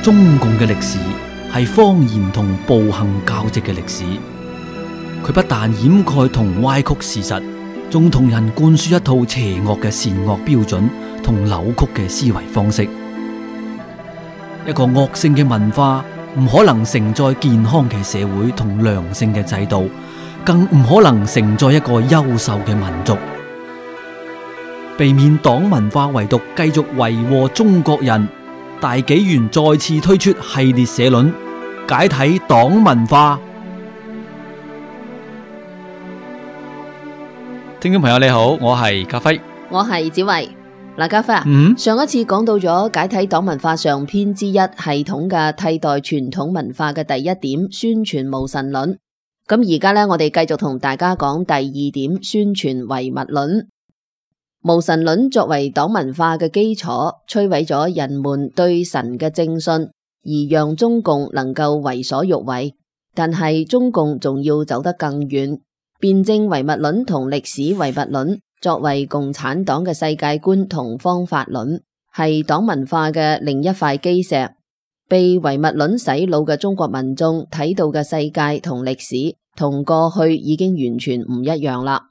中共嘅歷史係謊言同暴行交織嘅歷史，佢不但掩蓋同歪曲事實，仲同人灌輸一套邪惡嘅善惡標準同扭曲嘅思維方式。一個惡性嘅文化唔可能承載健康嘅社會同良性嘅制度，更唔可能承載一個優秀嘅民族。避免黨文化遺毒繼續為禍中國人，大紀元再次推出系列社論，解體黨文化。聽眾朋友你好，我係家輝，我係子維。嗱，家輝啊，上一次講到咗解體黨文化上篇之一，系統嘅替代傳統文化嘅第一點，宣傳無神論。咁而家呢，我哋繼續同大家講第二點，宣傳唯物論。無神論作為黨文化嘅基礎，摧毀咗人們對神嘅正信，而讓中共能夠為所欲為。但係中共仲要走得更遠，辯證唯物論同歷史唯物論作為共產黨嘅世界觀同方法論，係黨文化嘅另一塊基石。被唯物論洗腦嘅中國民眾睇到嘅世界同歷史，同過去已經完全唔一樣啦。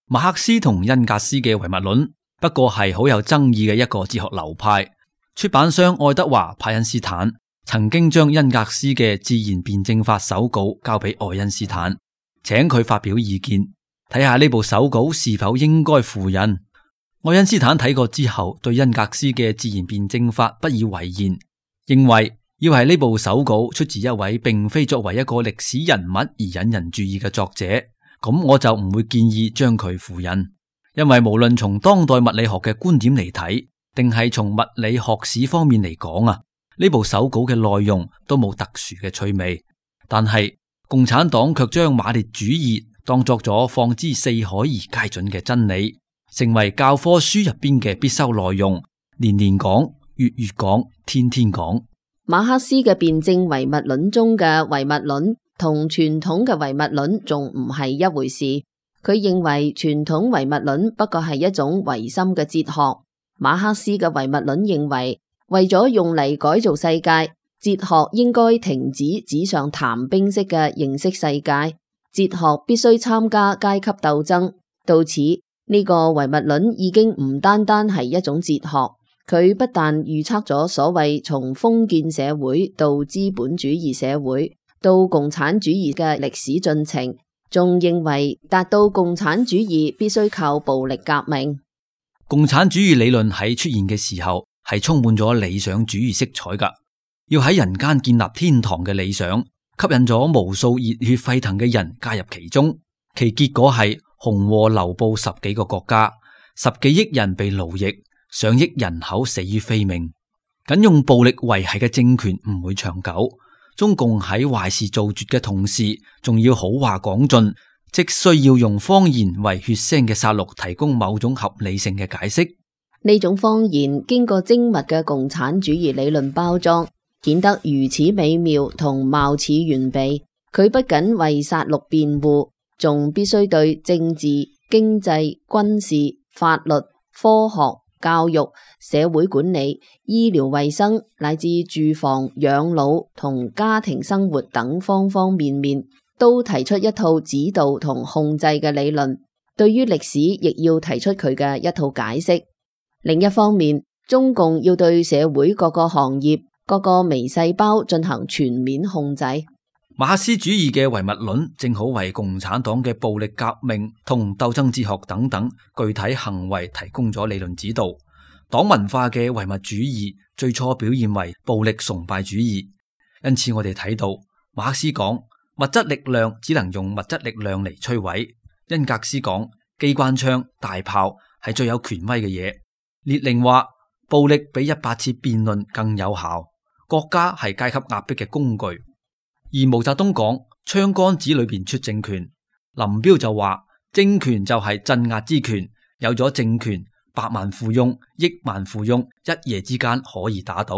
馬克思同恩格斯嘅唯物論不過係好有爭議嘅一個哲學流派。出版商愛德華派恩斯坦曾經將恩格斯嘅自然辯證法手稿交俾愛因斯坦，請佢發表意見，睇下呢部手稿是否應該附印。愛因斯坦睇過之後，對恩格斯嘅自然辯證法不以為然，認為要係呢部手稿出自一位並非作為一個歷史人物而引人注意嘅作者，咁我就唔會建議將佢附印，因為無論從當代物理學嘅觀點嚟睇，定係從物理學史方面嚟講啊，呢部手稿嘅內容都冇特殊嘅趣味。但係共產黨卻將馬列主義當作咗放之四海而皆準嘅真理，成為教科書入邊嘅必修內容，年年講，月月講，天天講。馬克思嘅辯證唯物論中嘅唯物論同傳統嘅唯物論仲唔係一回事。佢認為傳統唯物論不過係一種唯心嘅哲學。馬克思嘅唯物論認為，為咗用嚟改造世界，哲學應該停止紙上談兵式嘅認識世界，哲學必須參加階級鬥爭。到此，呢個唯物論已經唔單單係一種哲學，佢不但預測咗所謂從封建社會到資本主義社會到共產主義嘅歷史進程，仲認為達到共產主義必須靠暴力革命。共產主義理論喺出現嘅時候係充滿咗理想主義色彩噶，要喺人間建立天堂嘅理想，吸引咗無數熱血沸騰嘅人加入其中，其結果係紅禍流布十幾個國家，10幾億人被奴役，上億人口死於非命。僅用暴力維繫嘅政權唔會長久，中共喺壞事做絕嘅同時，仲要好話講盡，即需要用謊言為血腥嘅殺戮提供某種合理性嘅解釋。呢種謊言經過精密嘅共產主義理論包裝，顯得如此美妙同貌似完備。佢不僅為殺戮辯護，仲必須對政治、經濟、軍事、法律、科學、教育、社會管理、醫療衛生乃至住房、養老同家庭生活等方方面面，都提出一套指導同控制嘅理論。對於歷史，亦要提出佢嘅一套解釋。另一方面，中共要對社會各個行業、各個微細胞進行全面控制。馬克思主義嘅唯物論正好為共產黨嘅暴力革命同鬥爭哲學等等具體行為提供咗理論指導。黨文化嘅唯物主義最初表現為暴力崇拜主義，因此我哋睇到馬克思講物質力量只能用物質力量嚟摧毀，恩格斯講機關槍、大炮係最有權威嘅嘢，列寧話暴力比100次辯論更有效，國家係階級壓迫嘅工具。而毛澤東講槍桿子裏邊出政權，林彪就話政權就係鎮壓之權，有咗政權，百萬富翁、億萬富翁一夜之間可以打倒。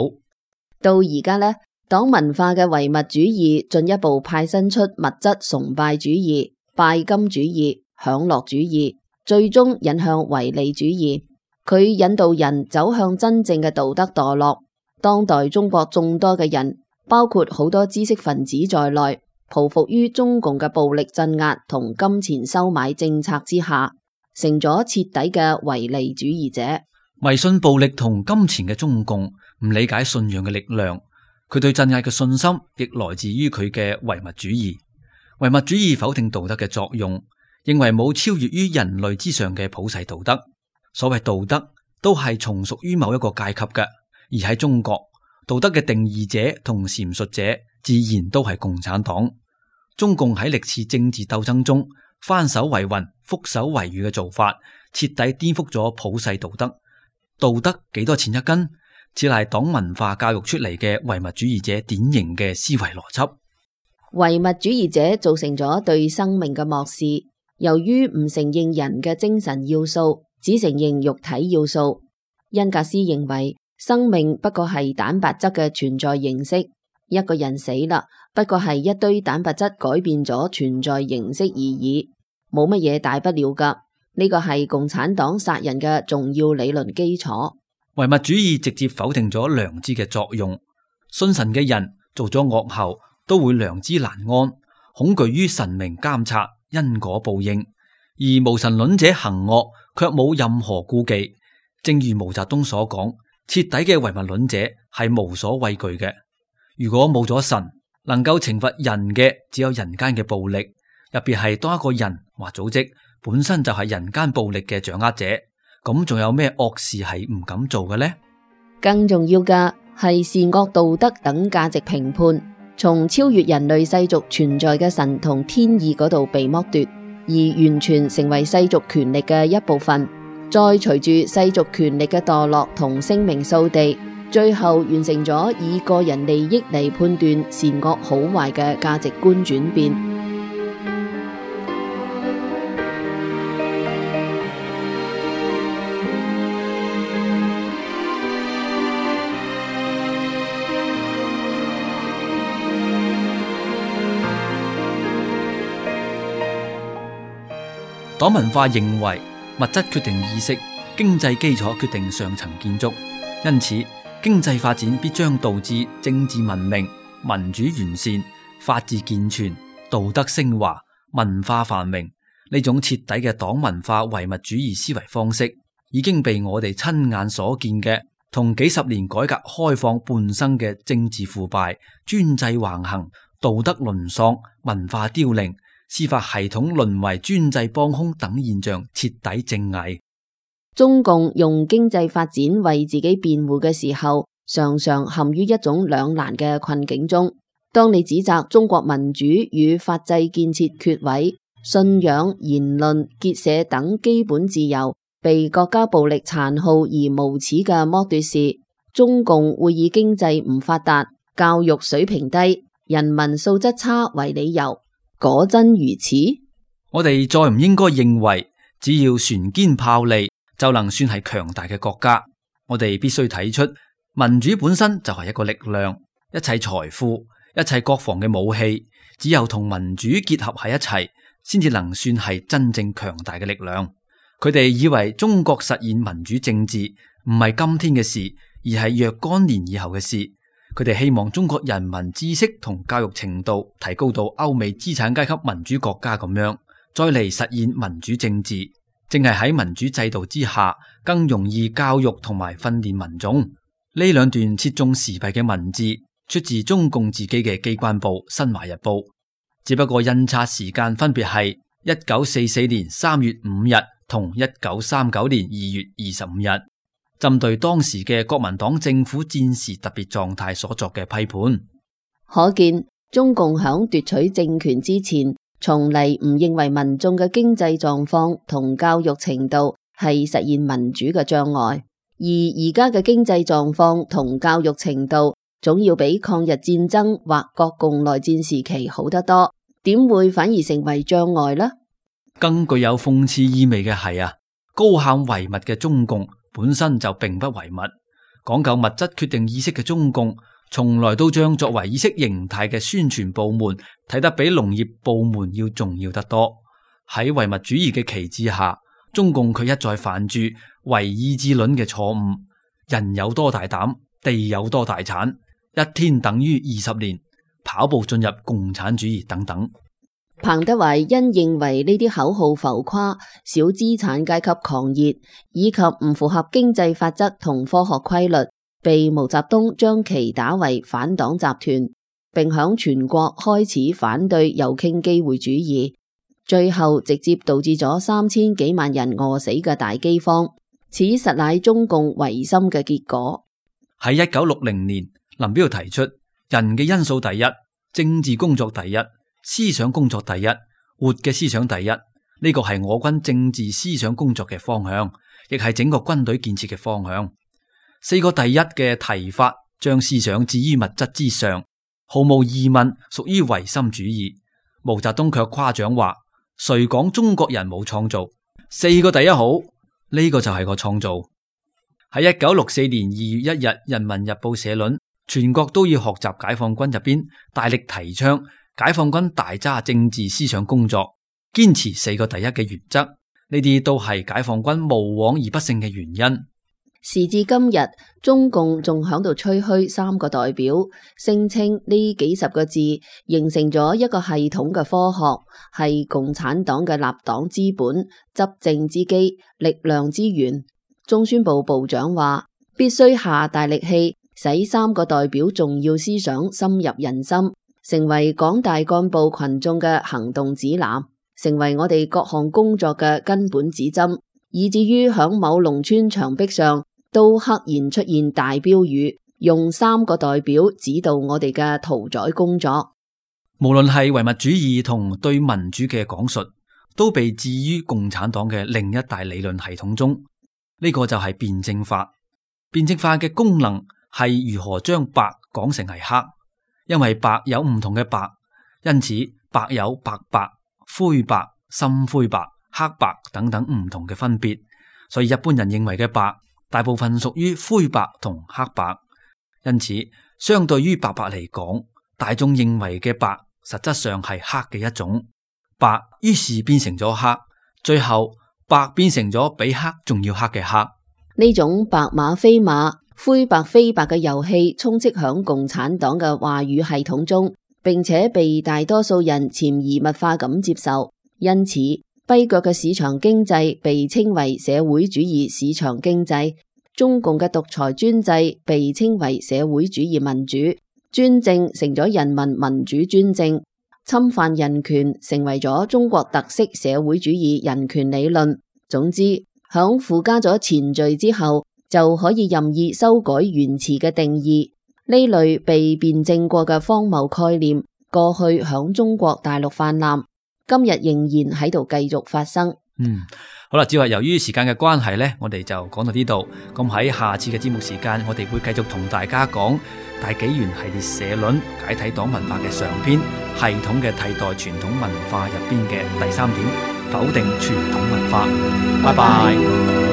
到而家呢，黨文化嘅唯物主義進一步派生出物質崇拜主義、拜金主義、享樂主義，最終引向唯利主義。佢引導人走向真正嘅道德墮落。當代中國眾多嘅人，包括好多知識分子在內，匍匐於中共嘅暴力鎮壓同金錢收買政策之下，成咗徹底嘅唯利主義者。迷信暴力同金錢嘅中共唔理解信仰嘅力量，佢對鎮壓嘅信心亦來自於佢嘅唯物主義。唯物主義否定道德嘅作用，認為冇超越於人類之上嘅普世道德。所謂道德都係從屬於某一個階級嘅，而喺中國，道德嘅定義者同闡述者自然都係共產黨。中共喺歷次政治鬥爭中翻手為雲、覆手為雨嘅做法，徹底顛覆咗普世道德。道德幾多錢一斤，只係黨文化教育出嚟嘅唯物主義者典型嘅思維邏輯。唯物主義者造成咗對生命嘅漠視，由於唔承認人嘅精神要素，只承認肉體要素。恩格斯認為生命不過係蛋白質嘅存在形式，一個人死啦，不過係一堆蛋白質改變咗存在形式而已，冇乜嘢大不了噶。呢個係共產黨殺人嘅重要理論基礎。唯物主義直接否定咗良知嘅作用。信神嘅人做咗惡後都會良知難安，恐懼於神明監察、因果報應；而無神論者行惡卻冇任何顧忌。正如毛澤東所講，徹底嘅唯物論者係無所畏懼嘅。如果冇咗神，能夠懲罰人嘅只有人間嘅暴力，特別係當一個人或組織本身就係人間暴力嘅掌握者，咁仲有咩惡事係唔敢做嘅呢？更重要嘅係善惡道德等價值評判，從超越人類世俗存在嘅神同天意嗰度被剝奪，而完全成為世俗權力嘅一部分。再隨住世俗權力嘅墮落同聲名掃地，最後完成咗以個人利益嚟判斷善惡好壞嘅價值觀轉變。黨文化認為物質決定意識，經濟基礎決定上層建築，因此經濟發展必將導致政治文明、民主完善、法治健全、道德升華、文化繁榮。呢種徹底嘅黨文化唯物主義思維方式，已經被我哋親眼所見嘅同幾十年改革開放伴生嘅政治腐敗、專制橫行、道德淪喪、文化凋零、司法系統淪為專制幫兇等現象徹底正偽。中共用經濟發展為自己辯護嘅時候，常常陷於一種兩難嘅困境中。當你指責中國民主與法制建設缺位，信仰、言論、結社等基本自由被國家暴力殘酷而無恥嘅剝奪時，中共會以經濟唔發達、教育水平低、人民素質差為理由。果真如此？我哋再唔應該認為只要船堅炮利就能算係強大嘅國家。我哋必須睇出民主本身就係一個力量，一切財富、一切國防嘅武器，只有同民主結合喺一齊，先至能算係真正強大嘅力量。佢哋以為中國實現民主政治唔係今天嘅事，而係若干年以後嘅事。佢哋希望中國人民知識同教育程度提高到歐美資產階級民主國家咁樣，再嚟實現民主政治。正係喺民主制度之下，更容易教育同埋訓練民眾。呢兩段切中時弊嘅文字，出自中共自己嘅機關報《新華日報》，只不過印刷時間分別係1944年3月5日同1939年2月25日。針對當時嘅國民黨政府戰時特別狀態所作嘅批判，可見中共響奪取政權之前，從嚟唔認為民眾嘅經濟狀況同教育程度係實現民主嘅障礙，而而家嘅經濟狀況同教育程度，總要比抗日戰爭或國共內戰時期好得多，點會反而成為障礙呢？更具有諷刺意味嘅係高喊唯物嘅中共本身就並不唯物，講究物質決定意識嘅中共，從來都將作為意識形態嘅宣傳部門睇得比農業部門要重要得多。喺唯物主義嘅旗幟下，中共卻一再犯住唯意志論嘅錯誤。人有多大膽，地有多大產，一天等於20年，跑步進入共產主義等等。彭德懷因認為呢啲口號浮誇、小資產階級狂熱以及唔符合經濟法則同科學規律，被毛澤東將其打為反黨集團，並響全國開始反對右傾機會主義，最後直接導致咗3000幾萬人餓死嘅大饑荒。此實乃中共違心嘅結果。喺1960年，林彪提出人嘅因素第一，政治工作第一，思想工作第一，活嘅思想第一。呢個係我軍政治思想工作嘅方向，亦係整個軍隊建設嘅方向。4個第一嘅提法，將思想置於物質之上，毫無疑問屬於唯心主義。毛澤東卻誇獎話：誰講中國人冇創造？4個第一好，呢個就係個創造。喺1964年2月1日，《人民日報》社論：全國都要學習解放軍入邊大力提倡解放軍大揸政治思想工作，堅持4個第一嘅原則，呢啲都係解放軍無往而不勝嘅原因。時至今日，中共仲響度吹噓3個代表，聲稱呢幾十個字形成咗一個系統嘅科學，係共產黨嘅立黨之本、執政之基、力量之源。中宣部部長話，必須下大力氣，使3個代表重要思想深入人心，成為廣大幹部群眾嘅行動指南，成為我哋各項工作嘅根本指針，以至於響某農村牆壁上都刻然出現大標語，用3個代表指導我哋嘅屠宰工作。無論係唯物主義同對民主嘅講述，都被置於共產黨嘅另一大理論系統中。呢個就係辯證法。辯證法嘅功能係如何將白講成係黑，因為白有唔同嘅白，因此白有白白、灰白、深灰白、黑白等等唔同嘅分別。所以一般人認為嘅白，大部分屬於灰白同黑白。因此相對於白白嚟講，大眾認為嘅白實質上係黑嘅一種。白於是變成咗黑，最後白變成咗比黑仲要黑嘅黑。呢種白馬非馬、灰白非白嘅遊戲充斥響共產黨嘅話語系統中，並且被大多數人潛移默化咁接受。因此跛腳嘅市場經濟被稱為社會主義市場經濟，中共嘅獨裁專制被稱為社會主義民主，專政成咗人民民主專政，侵犯人權成為咗中國特色社會主義人權理論。總之，響附加咗前序之後，就可以任意修改原詞嘅定義。呢類被辯證過嘅荒謬概念，過去響中國大陸泛濫，今日仍然喺度繼續發生。好啦，只係由於時間嘅關係呢，我哋就講到呢度。咁喺下次嘅節目時間，我哋會繼續同大家講大紀元系列社論解體黨文化嘅上篇，系統嘅替代傳統文化入邊嘅第3點，否定傳統文化。拜拜。